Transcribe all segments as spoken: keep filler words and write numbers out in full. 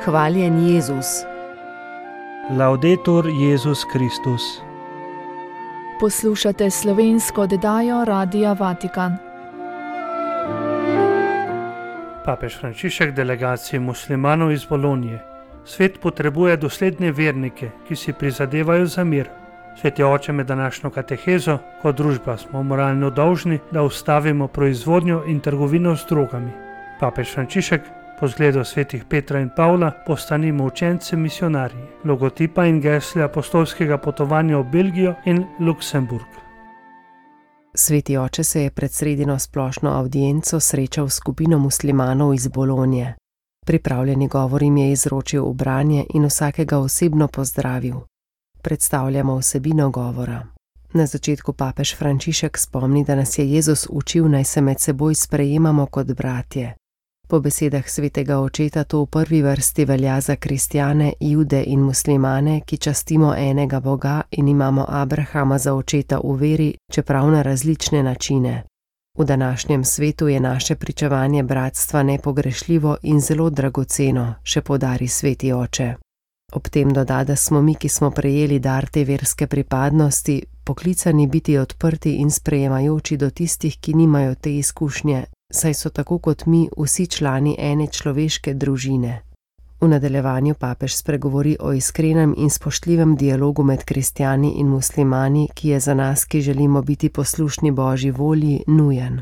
Hvaljen Jezus. Laudetur Jezus Kristus. Poslušate slovensko oddajo Radia Vatikan. Papež Frančišek delegaciji muslimanov iz Bolonije. Svet potrebuje dosledne vernike, ki si prizadevajo za mir. Sveti oče, med današnjo katehezo, kot družba smo moralno dolžni, da ustavimo proizvodnjo in trgovino z drogami. Papež Frančišek, po zgledu svetih Petra in Pavla, postanimo učenci misionarji, logotipa in gesla apostolskega potovanja v Belgijo in Luksemburg. Sveti oče se je pred sredino splošno avdienco srečal s skupino muslimanov iz Bolonije. Pripravljeni govor jim je izročil v branje in vsakega osebno pozdravil. Predstavljamo vsebino govora. Na začetku papež Frančišek spomni, da nas je Jezus učil, naj se med seboj sprejemamo kot bratje. Po besedah svetega očeta to v prvi vrsti velja za kristjane, jude in muslimane, ki častimo enega Boga in imamo Abrahama za očeta v veri, čeprav na različne načine. V današnjem svetu je naše pričevanje bratstva nepogrešljivo in zelo dragoceno, še poudari sveti oče. Ob tem doda, da smo mi, ki smo prejeli dar te verske pripadnosti, poklicani biti odprti in sprejemajoči do tistih, ki nimajo te izkušnje, saj so tako kot mi vsi člani ene človeške družine. V nadaljevanju papež spregovori o iskrenem in spoštljivem dialogu med kristjani in muslimani, ki je za nas, ki želimo biti poslušni Božji volji, nujen.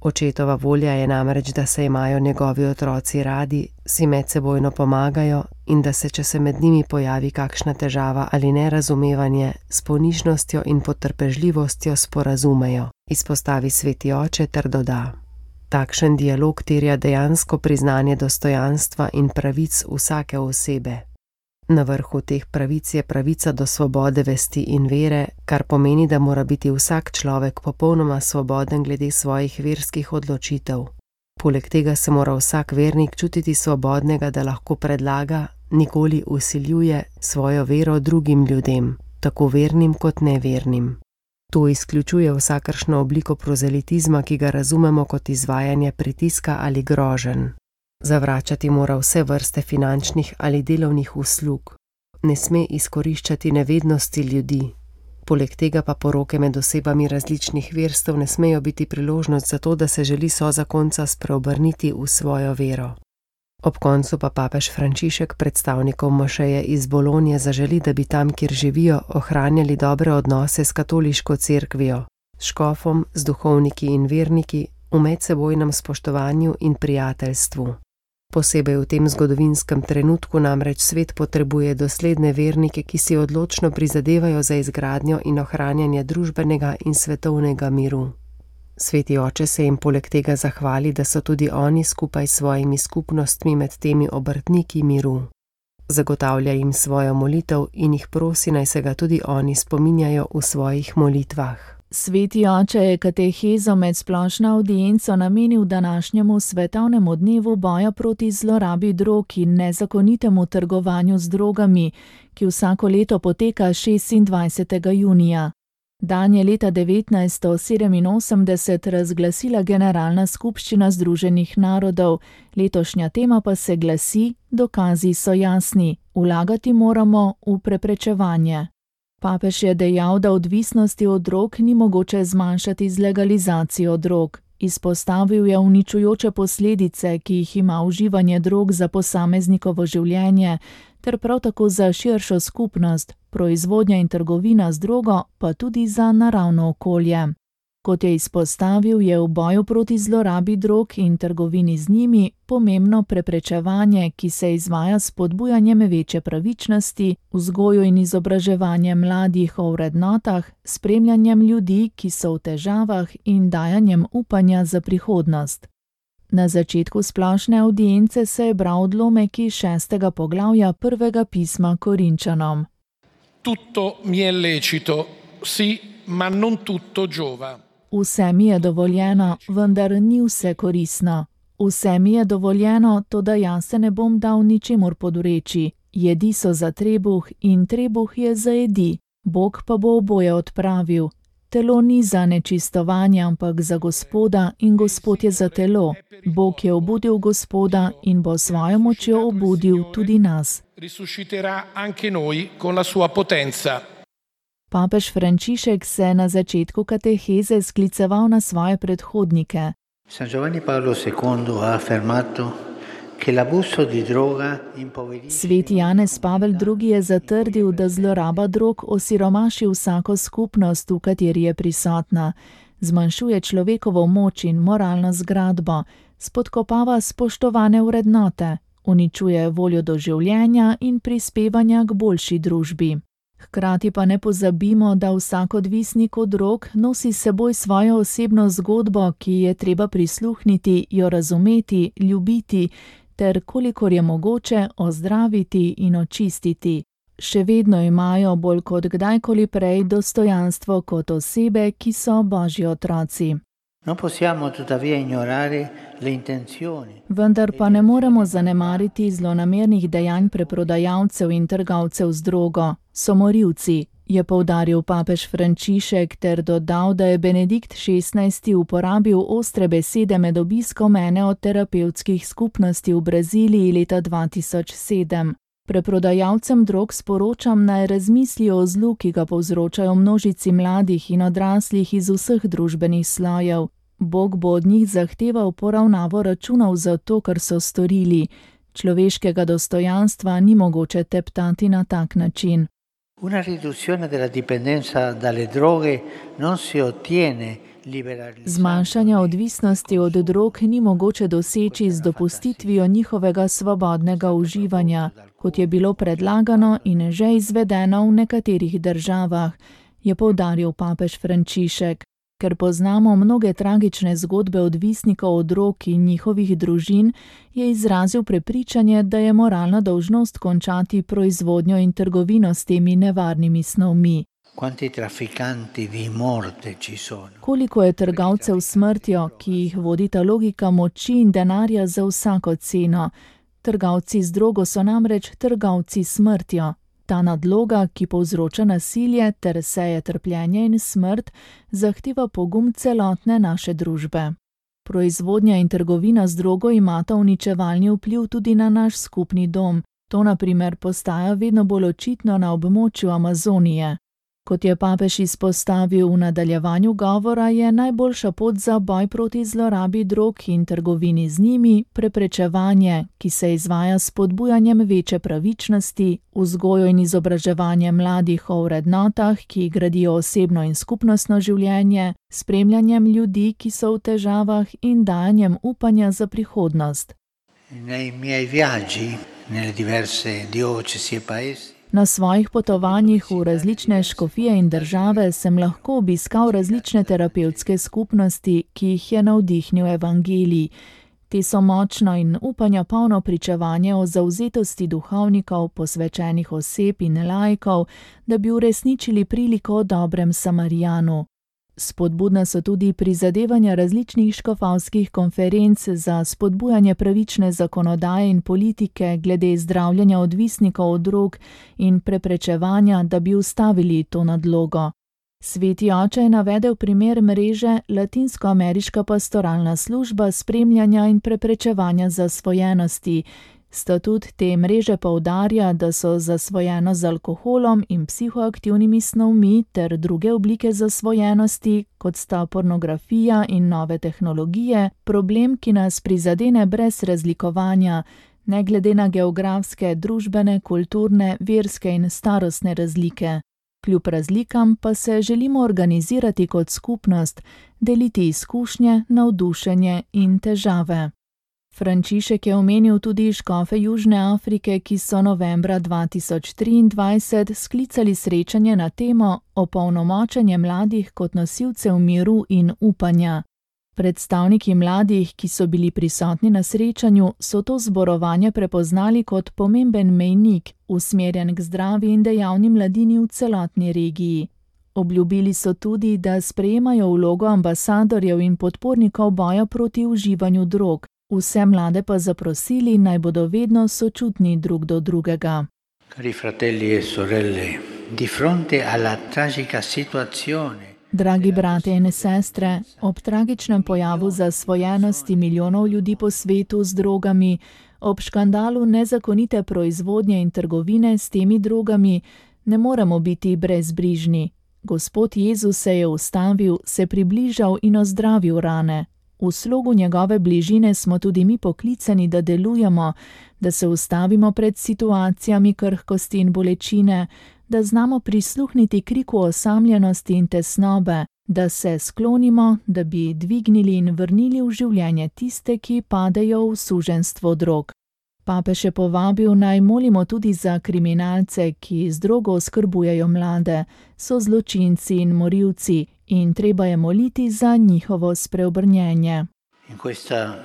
Očetova volja je namreč, da se imajo njegovi otroci radi, si medsebojno pomagajo in da se, če se med njimi pojavi kakšna težava ali nerazumevanje, s ponižnostjo in potrpežljivostjo sporazumejo, izpostavi sveti oče ter doda. Takšen dialog terja dejansko priznanje dostojanstva in pravic vsake osebe. Na vrhu teh pravic je pravica do svobode vesti in vere, kar pomeni, da mora biti vsak človek popolnoma svoboden glede svojih verskih odločitev. Poleg tega se mora vsak vernik čutiti svobodnega, da lahko predlaga, nikoli vsiljuje svojo vero drugim ljudem, tako vernim kot nevernim. To izključuje vsakršno obliko prozelitizma, ki ga razumemo kot izvajanje pritiska ali groženj. Zavračati mora vse vrste finančnih ali delovnih uslug. Ne sme izkoriščati nevednosti ljudi. Poleg tega pa poroke med osebami različnih verstev ne smejo biti priložnost za to, da se želi sozakonca spreobrniti v svojo vero. Ob koncu pa papež Frančišek predstavnikom mošeje iz Bolonije zaželi, da bi tam, kjer živijo, ohranjali dobre odnose s katoliško cerkvijo, s škofom, z duhovniki in verniki, v medsebojnem spoštovanju in prijateljstvu. Posebej v tem zgodovinskem trenutku namreč svet potrebuje dosledne vernike, ki si odločno prizadevajo za izgradnjo in ohranjanje družbenega in svetovnega miru. Sveti oče se jim poleg tega zahvali, da so tudi oni skupaj s svojimi skupnostmi med temi obrtniki miru. Zagotavlja jim svojo molitev in jih prosi, naj se ga tudi oni spominjajo v svojih molitvah. Sveti oče je katehezo med splošno avdienco namenil današnjemu svetovnemu dnevu boja proti zlorabi drog in nezakonitemu trgovanju z drogami, ki vsako leto poteka šestindvajsetega junija. Dan je leta devetnajststo sedeminosemdeset razglasila Generalna skupščina Združenih narodov, letošnja tema pa se glasi: Dokazi so jasni, vlagati moramo v preprečevanje. Papež je dejal, da odvisnosti od drog ni mogoče zmanjšati z legalizacijo drog. Izpostavil je uničujoče posledice, ki jih ima uživanje drog za posameznikovo življenje, ter prav tako za širšo skupnost, proizvodnja in trgovina z drogo, pa tudi za naravno okolje. Kot je izpostavil, je v boju proti zlorabi drog in trgovini z njimi pomembno preprečevanje, ki se izvaja s spodbujanjem večje pravičnosti, vzgojo in izobraževanje mladih o vrednotah, spremljanjem ljudi, ki so v težavah, in dajanjem upanja za prihodnost. Na začetku splošne avdience se je bral odlomek iz šestega poglavja prvega pisma Korinčanom. Tutto mi è lecito, sì, ma non tutto giova. Vse mi je dovoljeno, vendar ni vse koristno. Vse mi je dovoljeno, toda jaz se ne bom dal ničemur podureči. Jedi so za trebuh in trebuh je za jedi. Bog pa bo oboje odpravil. Telo ni za nečistovanje, ampak za Gospoda in Gospod je za telo. Bog je obudil Gospoda in bo svojo močjo obudil tudi nas. Risusciterà anche noi con la sua potenza. Papež Frančišek se je na začetku kateheze skliceval na svoje predhodnike. San Giovanni Paolo secondo ha affermato che l'abuso di droga impoverisce. Sveti Janez Pavel drugi je zatrdil, da zloraba drog osiromaši vsako skupnost, v kateri je prisotna, zmanjšuje človekovo moč in moralno zgradbo, spodkopava spoštovane vrednote, uničuje voljo do življenja in prispevanja k boljši družbi. Hkrati pa ne pozabimo, da vsak odvisnik od drog nosi s seboj svojo osebno zgodbo, ki je treba prisluhniti, jo razumeti, ljubiti, ter kolikor je mogoče ozdraviti in očistiti. Še vedno imajo bolj kot kdajkoli prej dostojanstvo kot osebe, ki so Božji otroci. Non possiamo tuttavia ignorare le intenzioni. Vendar pa ne moremo zanemariti zlonamernih dejanj preprodajalcev in trgovcev z drogo. So morilci, je poudaril papež Frančišek ter dodal, da je Benedikt šestnajsti uporabil ostre besede med obiskom ene od terapevtskih skupnosti v Braziliji leta dva tisoč sedem. Preprodajalcem drog sporočam, naj razmislijo o zlu, ki ga povzročajo množici mladih in odraslih iz vseh družbenih slojev. Bog bo od njih zahteval poravnavo računov za to, kar so storili. Človeškega dostojanstva ni mogoče teptati na tak način. Una riduzione della dipendenza dalle droghe non si ottiene liberalizzando. Zmanjšanja odvisnosti od drog ni mogoče doseči z dopustitvijo njihovega svobodnega uživanja, kot je bilo predlagano in že izvedeno v nekaterih državah, je poudaril papež Frančišek. Ker poznamo mnoge tragične zgodbe odvisnikov od drog in njihovih družin, je izrazil prepričanje, da je moralna dolžnost končati proizvodnjo in trgovino s temi nevarnimi snovmi. Quanti trafficanti di morte ci sono. Koliko je trgovcev s smrtjo, ki jih vodita logika moči in denarja za vsako ceno. Trgovci z drogo so namreč trgovci s smrtjo. Ta nadloga, ki povzroča nasilje ter seje trpljenje in smrt, zahteva pogum celotne naše družbe. Proizvodnja in trgovina z drogo imata uničevalni vpliv tudi na naš skupni dom. To na primer postaja vedno bolj očitno na območju Amazonije. Kot je papež izpostavil v nadaljevanju govora, je najboljša pot za boj proti zlorabi drog in trgovini z njimi preprečevanje, ki se izvaja s spodbujanjem večje pravičnosti, vzgojo in izobraževanje mladih o vrednotah, ki gradijo osebno in skupnostno življenje, spremljanjem ljudi, ki so v težavah in dajanjem upanja za prihodnost. Nei miei viaggi nelle diverse diocesi e paesi. Na svojih potovanjih v različne škofije in države sem lahko obiskal različne terapevtske skupnosti, ki jih je navdihnil evangelij. Te so močno in upanja polno pričevanje o zavzetosti duhovnikov, posvečenih oseb in laikov, da bi uresničili priliko o dobrem Samarijanu. Spodbudna so tudi prizadevanja različnih škofovskih konferenc za spodbujanje pravične zakonodaje in politike glede zdravljenja odvisnikov od drog in preprečevanja, da bi ustavili to nadlogo. Sveti oče je navedel primer mreže Latinskoameriška pastoralna služba spremljanja in preprečevanja zasvojenosti. Statut te mreže poudarja, da so zasvojenost z alkoholom in psihoaktivnimi snovmi ter druge oblike zasvojenosti, kot sta pornografija in nove tehnologije, problem, ki nas prizadene brez razlikovanja, ne glede na geografske, družbene, kulturne, verske in starostne razlike. Kljub razlikam pa se želimo organizirati kot skupnost, deliti izkušnje, navdušenje in težave. Frančišek je omenil tudi škofe Južne Afrike, ki so novembra dva tisoč triindvajset sklicali srečanje na temo opolnomočenje mladih kot nosilcev miru in upanja. Predstavniki mladih, ki so bili prisotni na srečanju, so to zborovanje prepoznali kot pomemben mejnik, usmerjen k zdravi in dejavni mladini v celotni regiji. Obljubili so tudi, da sprejemajo vlogo ambasadorjev in podpornikov boja proti uživanju drog. Vse mlade pa zaprosili, naj bodo vedno sočutni drug do drugega. Cari fratelli e sorelle, di fronte alla tragica situazione Dragi brate in sestre, ob tragičnem pojavu zasvojenosti milijonov ljudi po svetu z drogami, ob škandalu nezakonite proizvodnje in trgovine s temi drogami, ne moremo biti brezbrižni. Gospod Jezus se je ustavil, se približal in ozdravil rane. V slogu njegove bližine smo tudi mi poklicani, da delujemo, da se ustavimo pred situacijami krhkosti in bolečine, da znamo prisluhniti kriku osamljenosti in tesnobe, da se sklonimo, da bi dvignili in vrnili v življenje tiste, ki padejo v suženjstvo drog. Papež je povabil, naj molimo tudi za kriminalce, ki z drogo oskrbujejo mlade, so zločinci in morilci, in treba je moliti za njihovo spreobrnjenje. In questa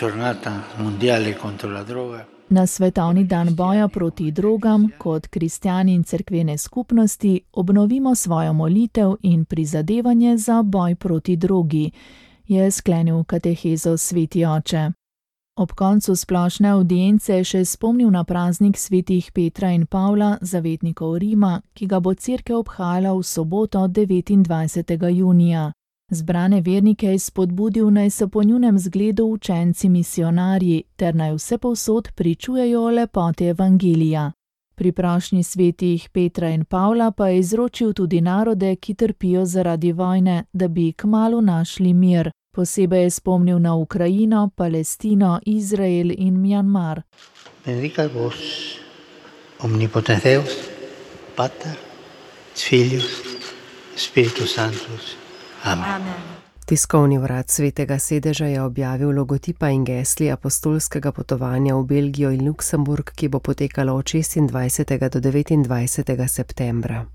giornata mondiale contro la droga. Na svetovni dan boja proti drogam, kot kristjani in cerkvene skupnosti, obnovimo svojo molitev in prizadevanje za boj proti drogi, je sklenil katehezo sveti oče. Ob koncu splošne avdience je še spomnil na praznik svetih Petra in Pavla, zavetnikov Rima, ki ga bo cerkev obhajala v soboto devetindvajsetega junija. Zbrane vernike je spodbudil, naj se po njunem zgledu učenci misionarji, ter naj vsepovsod pričujejo o lepoti evangelija. Pri prošnji svetih Petra in Pavla pa je izročil tudi narode, ki trpijo zaradi vojne, da bi kmalu našli mir. Posebej je spomnil na Ukrajino, Palestino, Izrael in Mjanmar. Benedicat vos, omnipotens Deus, Pater, Filius, Spiritus Sanctus. Amen. Amen. Tiskovni urad Svetega sedeža je objavil logotipa in gesli apostolskega potovanja v Belgijo in Luksemburg, ki bo potekalo od šestindvajsetega do devetindvajsetega septembra.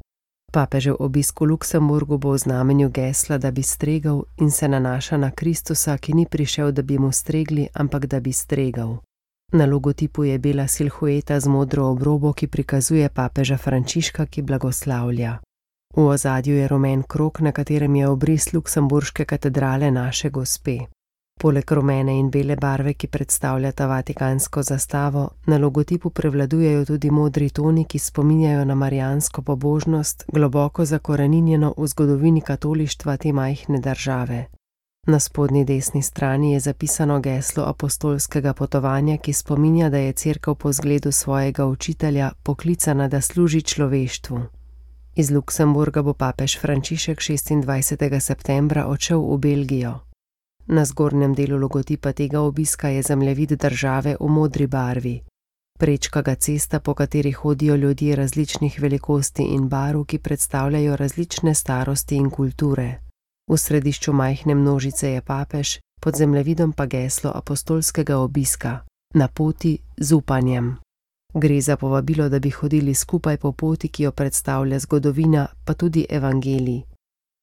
Papežev obisk v Luksemburgu bo v znamenju gesla, da bi stregel, in se nanaša na Kristusa, ki ni prišel, da bi mu stregli, ampak da bi stregal. Na logotipu je bela silhueta z modro obrobo, ki prikazuje papeža Frančiška, ki blagoslavlja. V ozadju je rumen krog, na katerem je obris luksemburške katedrale Naše Gospe. Poleg rumene in bele barve, ki predstavljata vatikansko zastavo, na logotipu prevladujejo tudi modri toni, ki spominjajo na marijansko pobožnost, globoko zakoreninjeno v zgodovini katolištva te majhne države. Na spodnji desni strani je zapisano geslo apostolskega potovanja, ki spominja, da je cerkev po zgledu svojega učitelja poklicana, da služi človeštvu. Iz Luksemburga bo papež Frančišek šestindvajsetega septembra odšel v Belgijo. Na zgornjem delu logotipa tega obiska je zemljevid države v modri barvi. Prečka ga cesta, po kateri hodijo ljudje različnih velikosti in barv, ki predstavljajo različne starosti in kulture. V središču majhne množice je papež, pod zemljevidom pa geslo apostolskega obiska: na poti z upanjem. Gre za povabilo, da bi hodili skupaj po poti, ki jo predstavlja zgodovina, pa tudi evangelij.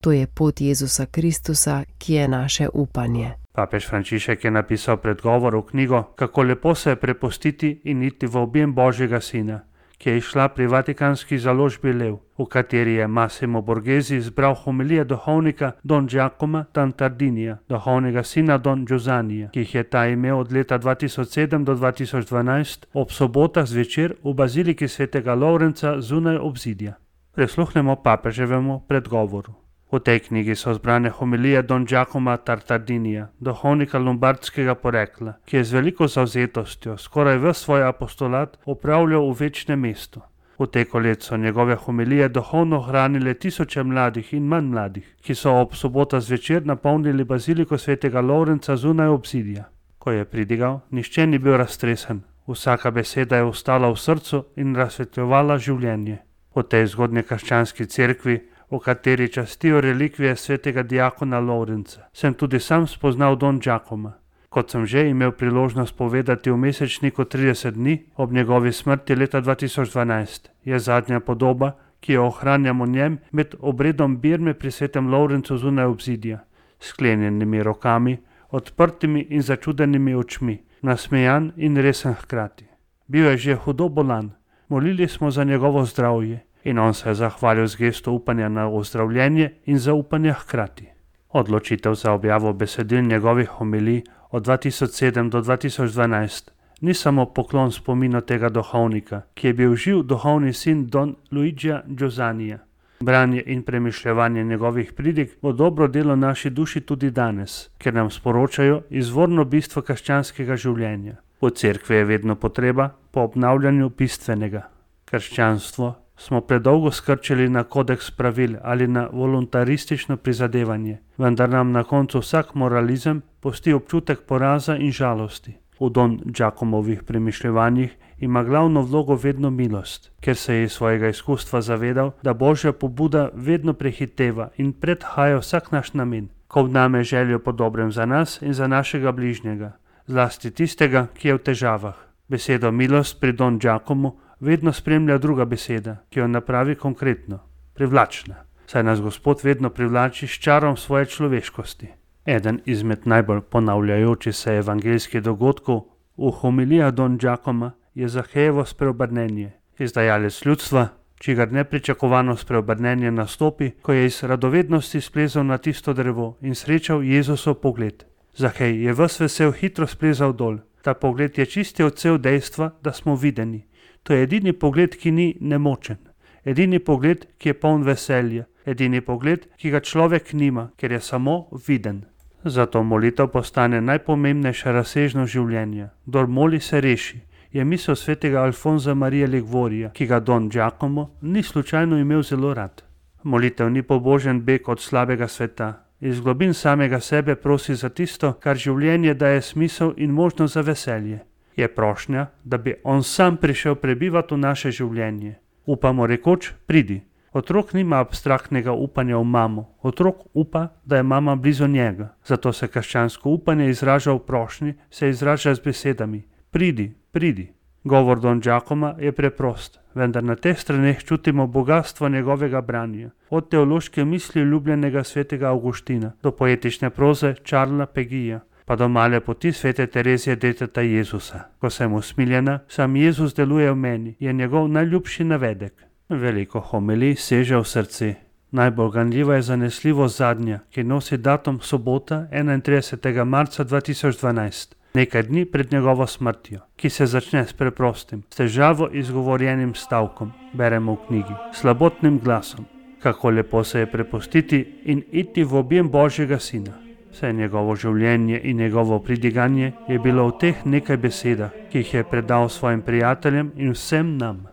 To je pot Jezusa Kristusa, ki je naše upanje. Papež Frančišek je napisal predgovor v knjigo Kako lepo se je prepustiti in iti v objem Božjega Sina, ki je izšla pri vatikanski založbi Lev, v kateri je Massimo Borghesi zbral homilije duhovnika Don Giacomo Tantardinija, duhovnega sina Don Giusanija, ki jih je ta imel od leta dva tisoč sedem do dva tisoč dvanajst ob sobotah zvečer v baziliki svetega Lovrenca zunaj obzidja. Prisluhnemo papeževemu predgovoru. V tej knjigi so zbrane homilije Don Giacoma Tantardinija, duhovnika lombardskega porekla, ki je z veliko zavzetostjo skoraj ves svoj apostolat opravljal v večnem mestu. V teku let so njegove homilije duhovno hranile tisoče mladih in manj mladih, ki so ob sobota zvečer napolnili baziliko svetega Lovrenca zunaj obzidja. Ko je pridigal, nihče ni bil raztresen, vsaka beseda je ostala v srcu in razsvetljevala življenje. V tej zgodnji krščanski cerkvi, v kateri častijo relikvije svetega diakona Lovrenca, sem tudi sam spoznal Don Giacoma. Kot sem že imel priložnost povedati v mesečniku trideset dni ob njegovi smrti leta dva tisoč dvanajst, je zadnja podoba, ki jo ohranjamo njem med obredom birme pri svetem Lovrencu zunaj obzidja, sklenjenimi rokami, odprtimi in začudenimi očmi, nasmejan in resen hkrati. Bil je že hudo bolan, molili smo za njegovo zdravje, in on se je zahvalil z gesto upanja na ozdravljenje in zaupanja hkrati. Odločitev za objavo besedil njegovih homilij od dva tisoč sedem do dva tisoč dvanajst ni samo poklon spominu tega duhovnika, ki je bil živ duhovni sin Don Luigija Giusanija. Branje in premišljevanje njegovih pridig bo dobro delo naši duši tudi danes, ker nam sporočajo izvorno bistvo krščanskega življenja. V cerkvi je vedno potreba po obnavljanju bistvenega. Krščanstvo smo predolgo skrčili na kodeks pravil ali na voluntaristično prizadevanje, vendar nam na koncu vsak moralizem pusti občutek poraza in žalosti. V Don Giacomovih premišljevanjih ima glavno vlogo vedno milost, ker se je iz svojega izkustva zavedal, da Božja pobuda vedno prehiteva in predhaja vsak naš namen, ko vname željo po dobrem za nas in za našega bližnjega, zlasti tistega, ki je v težavah. Besedo milost pri Don Giacomu vedno spremlja druga beseda, ki jo napravi konkretno, privlačna, saj nas Gospod vedno privlači s čarom svoje človeškosti. Eden izmed najbolj ponavljajočih se evangeljskih dogodkov v homilijah Don Giacoma je Zahejevo spreobrnenje. Izdajalec ljudstva, čigar nepričakovano spreobrnenje nastopi, ko je iz radovednosti splezal na tisto drevo in srečal Jezusov pogled. Zahej je ves vesel hitro splezal dol. Ta pogled je čisti odsev dejstva, da smo videni. To je edini pogled, ki ni nemočen. Edini pogled, ki je poln veselja. Edini pogled, ki ga človek nima, ker je samo viden. Zato molitev postane najpomembnejša razsežnost življenja. Kdor moli, se reši, je misel svetega Alfonza Marija Ligvorija, ki ga Don Giacomo ni slučajno imel zelo rad. Molitev ni pobožen beg od slabega sveta. Iz globin samega sebe prosi za tisto, kar življenje daje smisel in možnost za veselje. Je prošnja, da bi on sam prišel prebivati v naše življenje. Upamo rekoč, pridi. Otrok nima abstraktnega upanja v mamo. Otrok upa, da je mama blizu njega. Zato se krščansko upanje izraža v prošnji, se izraža z besedami. Pridi, pridi. Govor Don Giacoma je preprost, vendar na teh straneh čutimo bogatstvo njegovega branja. Od teološke misli ljubljenega svetega Avguština do poetične proze Charlesa Pegija, pa do male poti svete Terezije deteta Jezusa. Ko sem usmiljena, sam Jezus deluje v meni, je njegov najljubši navedek. Veliko homilij seže v srce. Najbolj ganljiva je zanesljivo zadnja, ki nosi datum sobota enaintridesetega marca dva tisoč dvanajst, nekaj dni pred njegovo smrtjo, ki se začne s preprostim, s težavo izgovorjenim stavkom, beremo v knjigi, slabotnim glasom. Kako lepo se je prepustiti in iti v objem Božjega Sina. Vse njegovo življenje in njegovo pridiganje je bilo v teh nekaj besedah, ki jih je predal svojim prijateljem in vsem nam.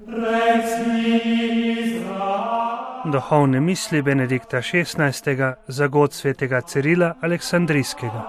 Duhovne misli Benedikta šestnajstega za god svetega Cirila Aleksandrijskega.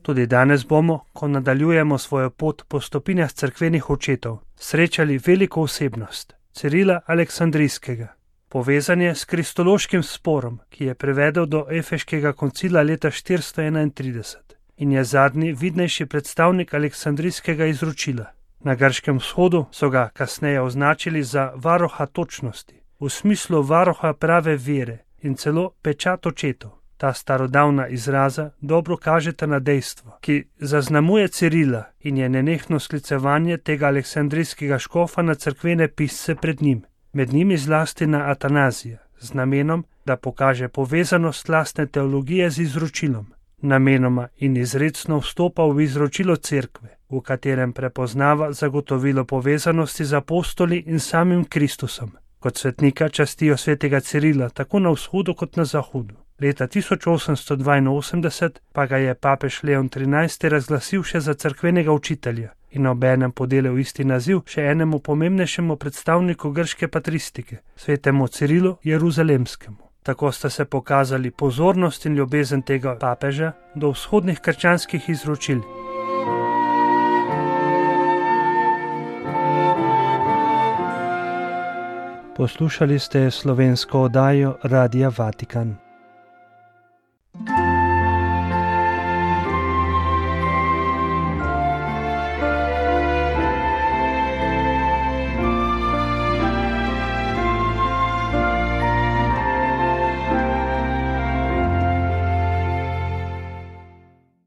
Tudi danes bomo, ko nadaljujemo svojo pot po stopinjah cerkvenih očetov, srečali veliko osebnost, Cirila Aleksandrijskega. Povezan je s kristološkim sporom, ki je prevedel do Efeškega koncila leta štiristo enaintrideset in je zadnji vidnejši predstavnik Aleksandrijskega izročila. Na Grškem vzhodu so ga kasneje označili za varoha točnosti, v smislu varoha prave vere in celo pečat očetov. Ta starodavna izraza dobro kažeta na dejstvo, ki zaznamuje Cirila in je nenehno sklicevanje tega aleksandrijskega škofa na cerkvene pisce pred njim, med njimi zlasti na Atanazija, z namenom, da pokaže povezanost lastne teologije z izročilom. Namenoma in izrecno vstopa v izročilo cerkve, v katerem prepoznava zagotovilo povezanosti z apostoli in samim Kristusom. Kot svetnika častijo svetega Cirila tako na vzhodu kot na zahodu. Leta tisoč osemsto dvainosemdeset pa ga je papež Leon trinajsti razglasil še za cerkvenega učitelja in obenem podelil isti naziv še enemu pomembnejšemu predstavniku grške patristike, svetemu Cirilu Jeruzalemskemu. Tako sta se pokazali pozornost in ljubezen tega papeža do vzhodnih krščanskih izročil. Poslušali ste slovensko oddajo Radia Vatikan.